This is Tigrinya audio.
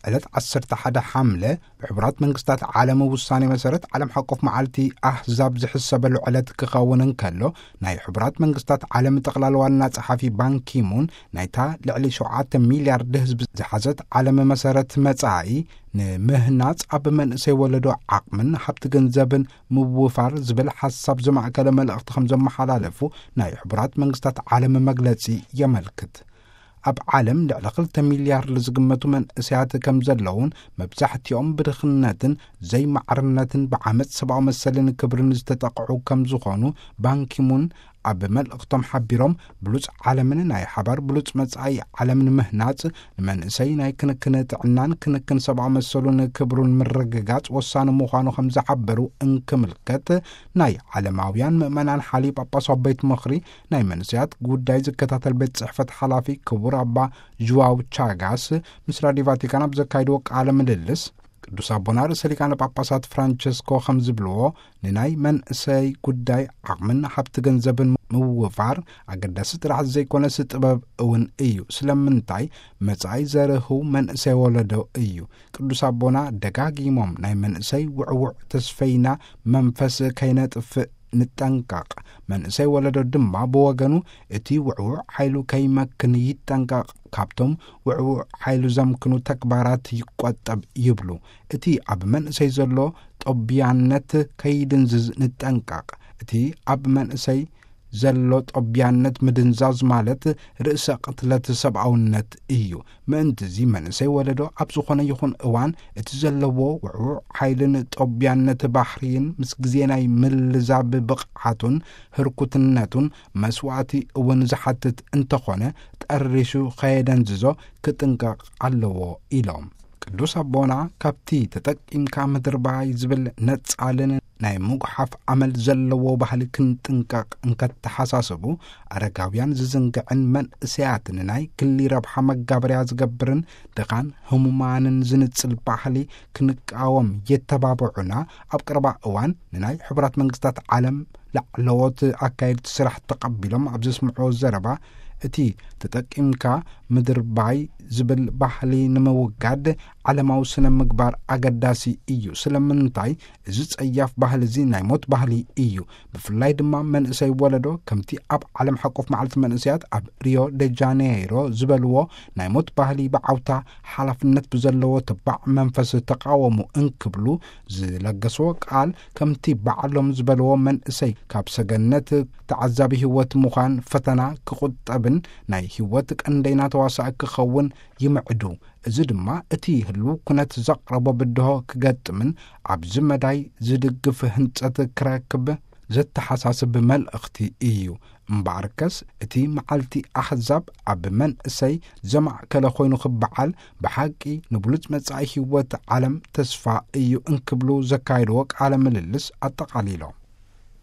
ዕለት ዓሰርተ ሓደ ሓምለ ብሕቡራት መንግስታት ዓለም ውሳኔ መሰረት ዓለም ሓቆፍ መዓልቲ ኣህዛብ ዝሕሰበሉ ዕለት ክኸውን እንከሎ፣ ናይ ሕቡራት መንግስታት ዓለም ጠቕላል ዋና ጸሓፊ ባንኪሙን ናይታ ልዕሊ ሸውዓተ ሚልያርድ ህዝቢ ዝሓዘት ዓለም መሰረት መጻኢ ንምህናጽ ኣብ መንእሰይ ወለዶ ዓቕምን ሃብቲ ገንዘብን ምውፋር ዝብል ሓሳብ ዘማእከለ መልእኽቲ ከም ዘመሓላለፉ ናይ ሕቡራት መንግስታት ዓለም መግለጺ የመልክት። ኣብ ዓለም ልዕሊ ክልተ ሚልያርድ ዝግመቱ መንእሰያት ከም ዘለውን መብዛሕትኦም ብድኽነትን ዘይማዕርነትን ብዓመጽ ሰብኣዊ መሰልን ክብርን ዝተጠቕዑ ከም ዝኾኑ ባንኪሙን ኣብ መልእኽቶም ሓቢሮም፣ ብሉጽ ዓለምን ናይ ሓባር ብሉጽ መጻኢ ዓለምን ምህናጽ ንመንእሰይ ናይ ክንክን ጥዕናን ክንክን ሰብኣዊ መሰሉን ክብሩን ምርግጋጽ ወሳኒ ምዃኑ ከም ዝሓበሩ እንክምልከት ናይ ዓለማውያን ምእመናን ሓሊ ጳጳሳዊ ቤት ምኽሪ ናይ መንእሰያት ጉዳይ ዝከታተል ቤት ጽሕፈት ሓላፊ ክቡር ኣባ ዥዋው ቻጋስ ምስ ራዲዮ ቫቲካን ኣብ ዘካየድዎ ቃለ ምልልስ፣ ቅዱስ ኣቦና ርእሰ ሊቃነ ጳጳሳት ፍራንቸስኮ ከም ዝብልዎ፣ ንናይ መንእሰይ ጉዳይ ዓቕምን ሃብቲ ገንዘብን ምውፋር ኣገዳሲ ጥራሕ ዘይኮነስ ጥበብ እውን እዩ። ስለምንታይ? መጻኢ ዘርህው መንእሰይ ወለዶ እዩ። ቅዱስ ኣቦና ደጋጊሞም ናይ መንእሰይ ውዕውዕ ተስፈይና መንፈስ ከይነጥፍእ ንጠንቀቕ። መንእሰይ ወለዶ ድማ ብወገኑ እቲ ውዕውዕ ሓይሉ ከይመክን ይጠንቀቕ፣ ካብቶም ውዕውዕ ሓይሉ ዘምክኑ ተግባራት ይቆጠብ ይብሉ። እቲ ኣብ መንእሰይ ዘሎ ጦብያነት ከይድንዝዝ ንጠንቀቕ። እቲ ኣብ መንእሰይ ዘሎ ጦብያነት ምድንዛዝ ማለት ርእሰ ቅትለት ሰብኣውነት እዩ። ምእንትዚ መንእሰይ ወለዶ ኣብ ዝኾነ ይኹን እዋን እቲ ዘለዎ ውዕውዕ ሓይልን ጦብያነት ባህርይን ምስ ግዜ ናይ ምልዛብ ብቕዓቱን ህርኩትነቱን መስዋእቲ እውን ዝሓትት እንተኾነ፣ ጠሪሹ ከየደንዝዞ ክጥንቀቕ ኣለዎ ኢሎም። ቅዱስ ኣቦና ካብቲ ተጠቂምካ ምድርባይ ዝብል ነጻልን ናይ ምጉሓፍ ኣመል ዘለዎ ባህሊ ክንጥንቀቕ እንከተሓሳስቡ፣ ኣረጋውያን ዝዝንግዕን መንእሰያት ንናይ ግሊ ረብሓ መጋበርያ ዝገብርን ድኻን ህሙማንን ዝንጽል ባህሊ ክንቃወም የተባብዑና። ኣብ ቀረባ እዋን ንናይ ሕቡራት መንግስታት ዓለም ላዕለዎት ኣካየድቲ ስራሕ ተቐቢሎም ኣብ ዘስምዕዎ ዘረባ፣ እቲ ተጠቂምካ ምድርባይ ዝብል ባህሊ ንምውጋድ ዓለማዊ ስነ ምግባር ኣገዳሲ እዩ። ስለምንታይ? እዚ ጸያፍ ባህሊ እዚ ናይ ሞት ባህሊ እዩ። ብፍላይ ድማ መንእሰይ ወለዶ፣ ከምቲ ኣብ ዓለም ሓቆፍ መዓልቲ መንእሰያት ኣብ ሪዮ ደ ጃኔይሮ ዝበልዎ፣ ናይ ሞት ባህሊ ብዓውታ ሓላፍነት ብዘለዎ ተባዕ መንፈስ ተቃወሙ እንክብሉ ዝለገስዎ ቃል፣ ከምቲ ባዕሎም ዝበልዎ መንእሰይ ካብ ሰገነት ተዓዛቢ ህይወት ምዃን ፈተና ክቑጠብን ናይ ህይወት ቀንደይና ተዋሳኢ ክኸውን ይምዕዱ። እዚ ድማ እቲ ህልው ኩነት ዘቕረቦ ብድሆ ክገጥምን ኣብዚ መዳይ ዝድግፍ ህንጸት ክረክብ ዘተሓሳስብ መልእኽቲ እዩ። እምበኣርከስ እቲ መዓልቲ ኣሕዛብ ኣብ መንእሰይ ዘማእከለ ኮይኑ ክበዓል ብሓቂ ንብሉጽ መጻኢ ህይወት ዓለም ተስፋ እዩ እንክብሉ ዘካየድዎ ቃለ ምልልስ ኣጠቓሊሎም።